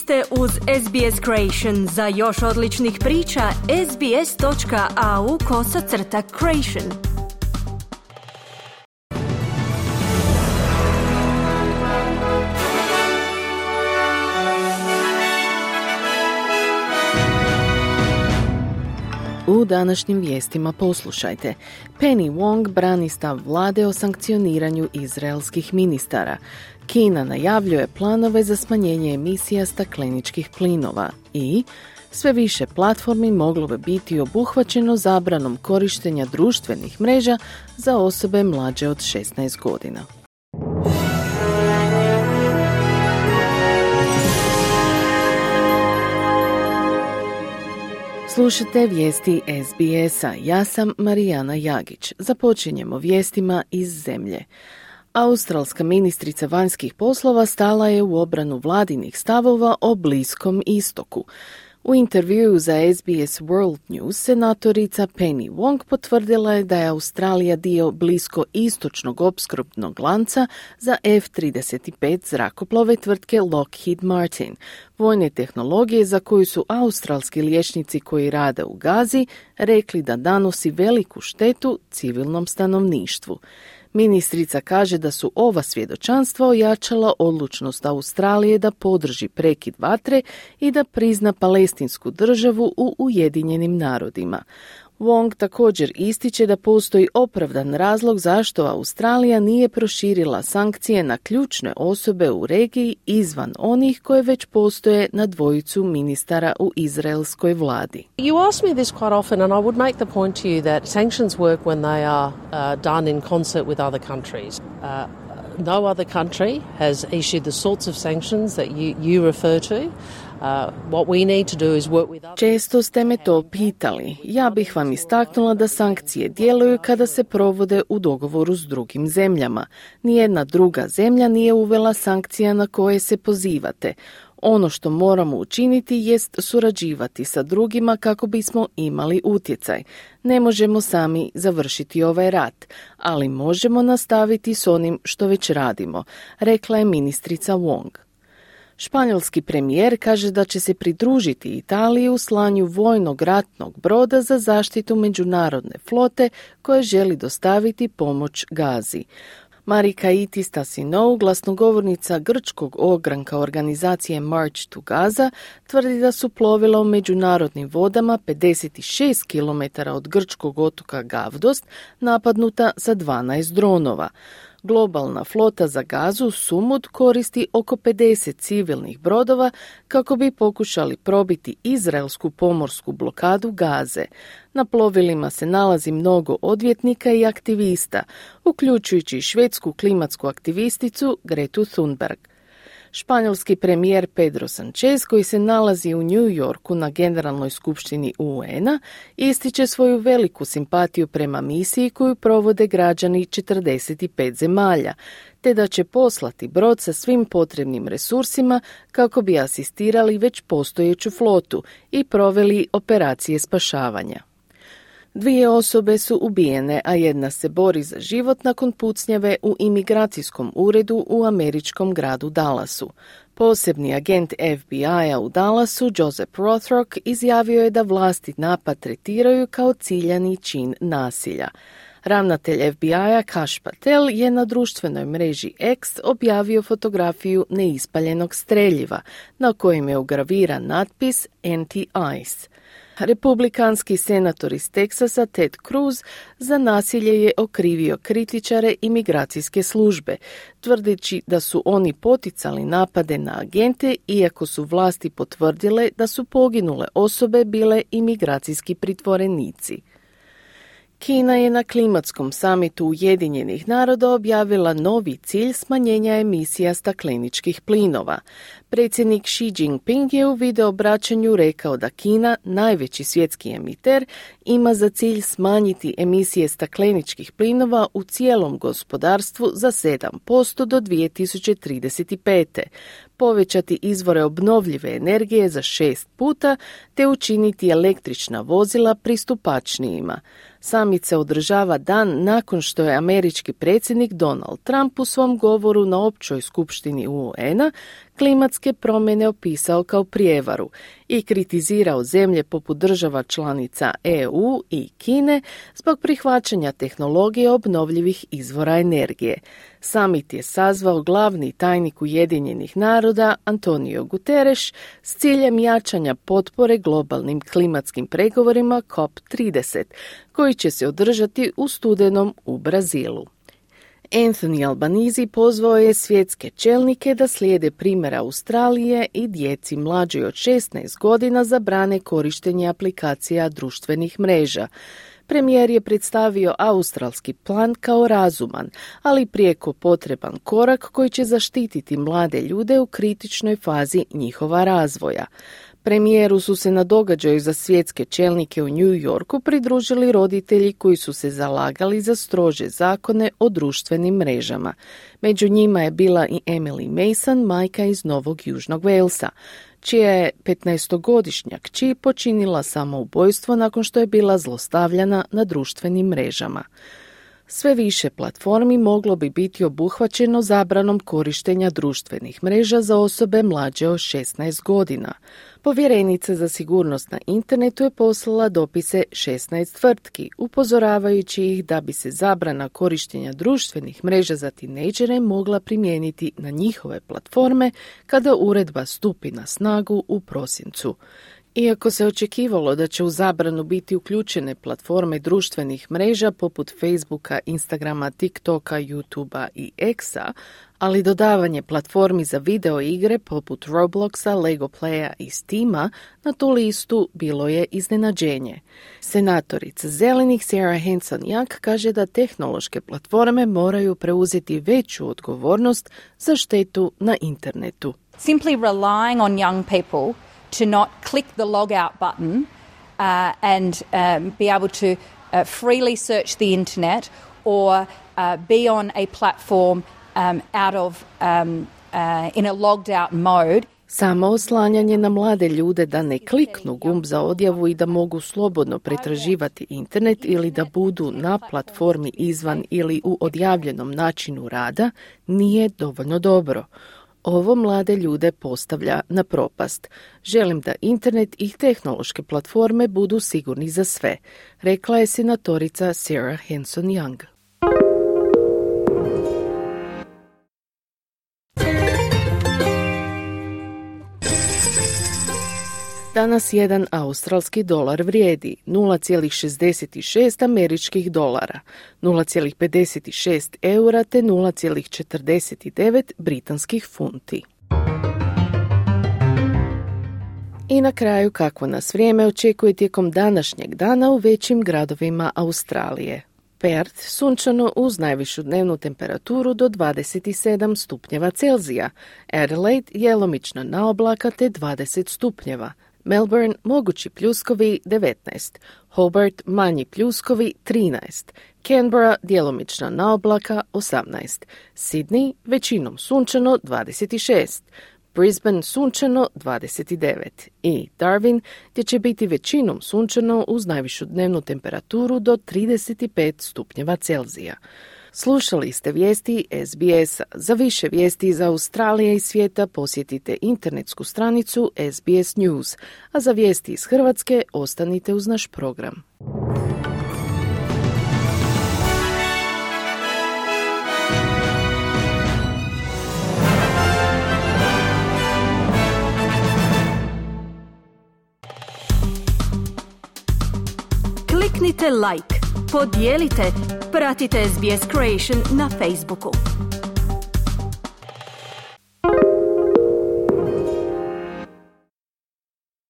ste uz SBS Creation. Za još odličnih priča, sbs.au/creation. U današnjim vijestima poslušajte. Penny Wong brani stav vlade o sankcioniranju izraelskih ministara. Kina najavljuje planove za smanjenje emisija stakleničkih plinova i sve više platformi moglo bi biti obuhvaćeno zabranom korištenja društvenih mreža za osobe mlađe od 16 godina. Slušajte vijesti SBS-a. Ja sam Marijana Jagić. Započinjemo vijestima iz zemlje. Australska ministrica vanjskih poslova stala je u obranu vladinih stavova o Bliskom istoku. U intervjuu za SBS World News senatorica Penny Wong potvrdila je da je Australija dio blisko-istočnog opskrbnog lanca za F-35 zrakoplove tvrtke Lockheed Martin, vojne tehnologije za koju su australski liječnici koji rade u Gazi rekli da nanosi veliku štetu civilnom stanovništvu. Ministrica kaže da su ova svjedočanstva ojačala odlučnost Australije da podrži prekid vatre i da prizna palestinsku državu u Ujedinjenim narodima. Wong također ističe da postoji opravdan razlog zašto Australija nije proširila sankcije na ključne osobe u regiji izvan onih koje već postoje na dvojicu ministara u izraelskoj vladi. You ask me this quite often and I would make the point to you that sanctions work when they are done in concert with other countries. No other country has issued the sorts of sanctions that you refer to. What we need to do is work with others. Često ste me to pitali. Ja bih vam istaknula da sankcije djeluju kada se provode u dogovoru s drugim zemljama. Nijedna druga zemlja nije uvela sankcija na koje se pozivate. Ono što moramo učiniti jest surađivati sa drugima kako bismo imali utjecaj. Ne možemo sami završiti ovaj rat, ali možemo nastaviti s onim što već radimo, rekla je ministrica Wong. Španjolski premijer kaže da će se pridružiti Italiji u slanju vojnog ratnog broda za zaštitu međunarodne flote koje želi dostaviti pomoć Gazi. Marikaiti Stasinou, glasnogovornica grčkog ogranka organizacije March to Gaza, tvrdi da su plovila u međunarodnim vodama 56 km od grčkog otoka Gavdost napadnuta sa 12 dronova. Globalna flota za Gazu Sumud koristi oko 50 civilnih brodova kako bi pokušali probiti izraelsku pomorsku blokadu Gaze. Na plovilima se nalazi mnogo odvjetnika i aktivista, uključujući švedsku klimatsku aktivisticu Gretu Thunberg. Španjolski premijer Pedro Sanchez, koji se nalazi u New Yorku na Generalnoj skupštini UN-a, ističe svoju veliku simpatiju prema misiji koju provode građani 45 zemalja, te da će poslati brod sa svim potrebnim resursima kako bi asistirali već postojeću flotu i proveli operacije spašavanja. 2 osobe su ubijene, a jedna se bori za život nakon pucnjave u imigracijskom uredu u američkom gradu Dallasu. Posebni agent FBI-a u Dallasu, Joseph Rothrock, izjavio je da vlasti napad tretiraju kao ciljani čin nasilja. Ravnatelj FBI-a Kash Patel je na društvenoj mreži X objavio fotografiju neispaljenog streljiva na kojem je ugraviran natpis Anti-ICE. Republikanski senator iz Teksasa Ted Cruz za nasilje je okrivio kritičare imigracijske službe, tvrdeći da su oni poticali napade na agente iako su vlasti potvrdile da su poginule osobe bile imigracijski pritvorenici. Kina je na klimatskom samitu Ujedinjenih naroda objavila novi cilj smanjenja emisija stakleničkih plinova. Predsjednik Xi Jinping je u videoobraćanju rekao da Kina, najveći svjetski emiter, ima za cilj smanjiti emisije stakleničkih plinova u cijelom gospodarstvu za 7% do 2035. Povećati izvore obnovljive energije za 6 puta te učiniti električna vozila pristupačnijima. Summit se održava dan nakon što je američki predsjednik Donald Trump u svom govoru na općoj skupštini UN-a klimatske klimatske promjene opisao kao prijevaru i kritizirao zemlje poput država članica EU i Kine zbog prihvaćanja tehnologije obnovljivih izvora energije. Summit je sazvao glavni tajnik Ujedinjenih naroda Antonio Guterres s ciljem jačanja potpore globalnim klimatskim pregovorima COP30, koji će se održati u studenom u Brazilu. Anthony Albanese pozvao je svjetske čelnike da slijede primjera Australije i djeci mlađoj od 16 godina zabrane korištenje aplikacija društvenih mreža. Premijer je predstavio australski plan kao razuman, ali prijeko potreban korak koji će zaštititi mlade ljude u kritičnoj fazi njihova razvoja. Premijeru su se na događaju za svjetske čelnike u New Yorku pridružili roditelji koji su se zalagali za strože zakone o društvenim mrežama. Među njima je bila i Emily Mason, majka iz Novog Južnog Walesa, čija je 15-godišnja kći počinila samoubojstvo nakon što je bila zlostavljana na društvenim mrežama. Sve više platformi moglo bi biti obuhvaćeno zabranom korištenja društvenih mreža za osobe mlađe od 16 godina. Povjerenica za sigurnost na internetu je poslala dopise 16 tvrtki, upozoravajući ih da bi se zabrana korištenja društvenih mreža za tinejdžere mogla primijeniti na njihove platforme kada uredba stupi na snagu u prosincu. Iako se očekivalo da će u zabranu biti uključene platforme društvenih mreža poput Facebooka, Instagrama, TikToka, YouTubea i Xa, ali dodavanje platformi za video igre poput Robloxa, Lego Playa i Steama na tu listu bilo je iznenađenje. Senatorica Zelenih Sarah Hanson-Young kaže da tehnološke platforme moraju preuzeti veću odgovornost za štetu na internetu. Simply relying on young people to not click the log out button and be able to freely search the internet or be on a platform out of in a logged out mode. Samo oslanjanje na mlade ljude da ne kliknu gumb za odjavu i da mogu slobodno pretraživati internet ili da budu na platformi izvan ili u odjavljenom načinu rada nije dovoljno dobro. Ovo mlade ljude postavlja na propast. Želim da internet i tehnološke platforme budu sigurni za sve, rekla je senatorica Sarah Hanson-Young. Danas jedan australski dolar vrijedi 0,66 američkih dolara, 0,56 eura te 0,49 britanskih funti. I na kraju kakvo nas vrijeme očekuje tijekom današnjeg dana u većim gradovima Australije. Perth sunčano uz najvišu dnevnu temperaturu do 27 stupnjeva Celzija, Adelaide djelomično na oblaka te 20 stupnjeva, Melbourne mogući pljuskovi 19, Hobart manji pljuskovi 13, Canberra djelomično na oblaka 18, Sydney većinom sunčano 26, Brisbane sunčano 29 i Darwin gdje će biti većinom sunčano uz najvišu dnevnu temperaturu do 35 stupnjeva Celzija. Slušali ste vijesti SBS-a. Za više vijesti iz Australije i svijeta posjetite internetsku stranicu SBS News, a za vijesti iz Hrvatske ostanite uz naš program. Kliknite like, podijelite, pratite SBS Creation na Facebooku.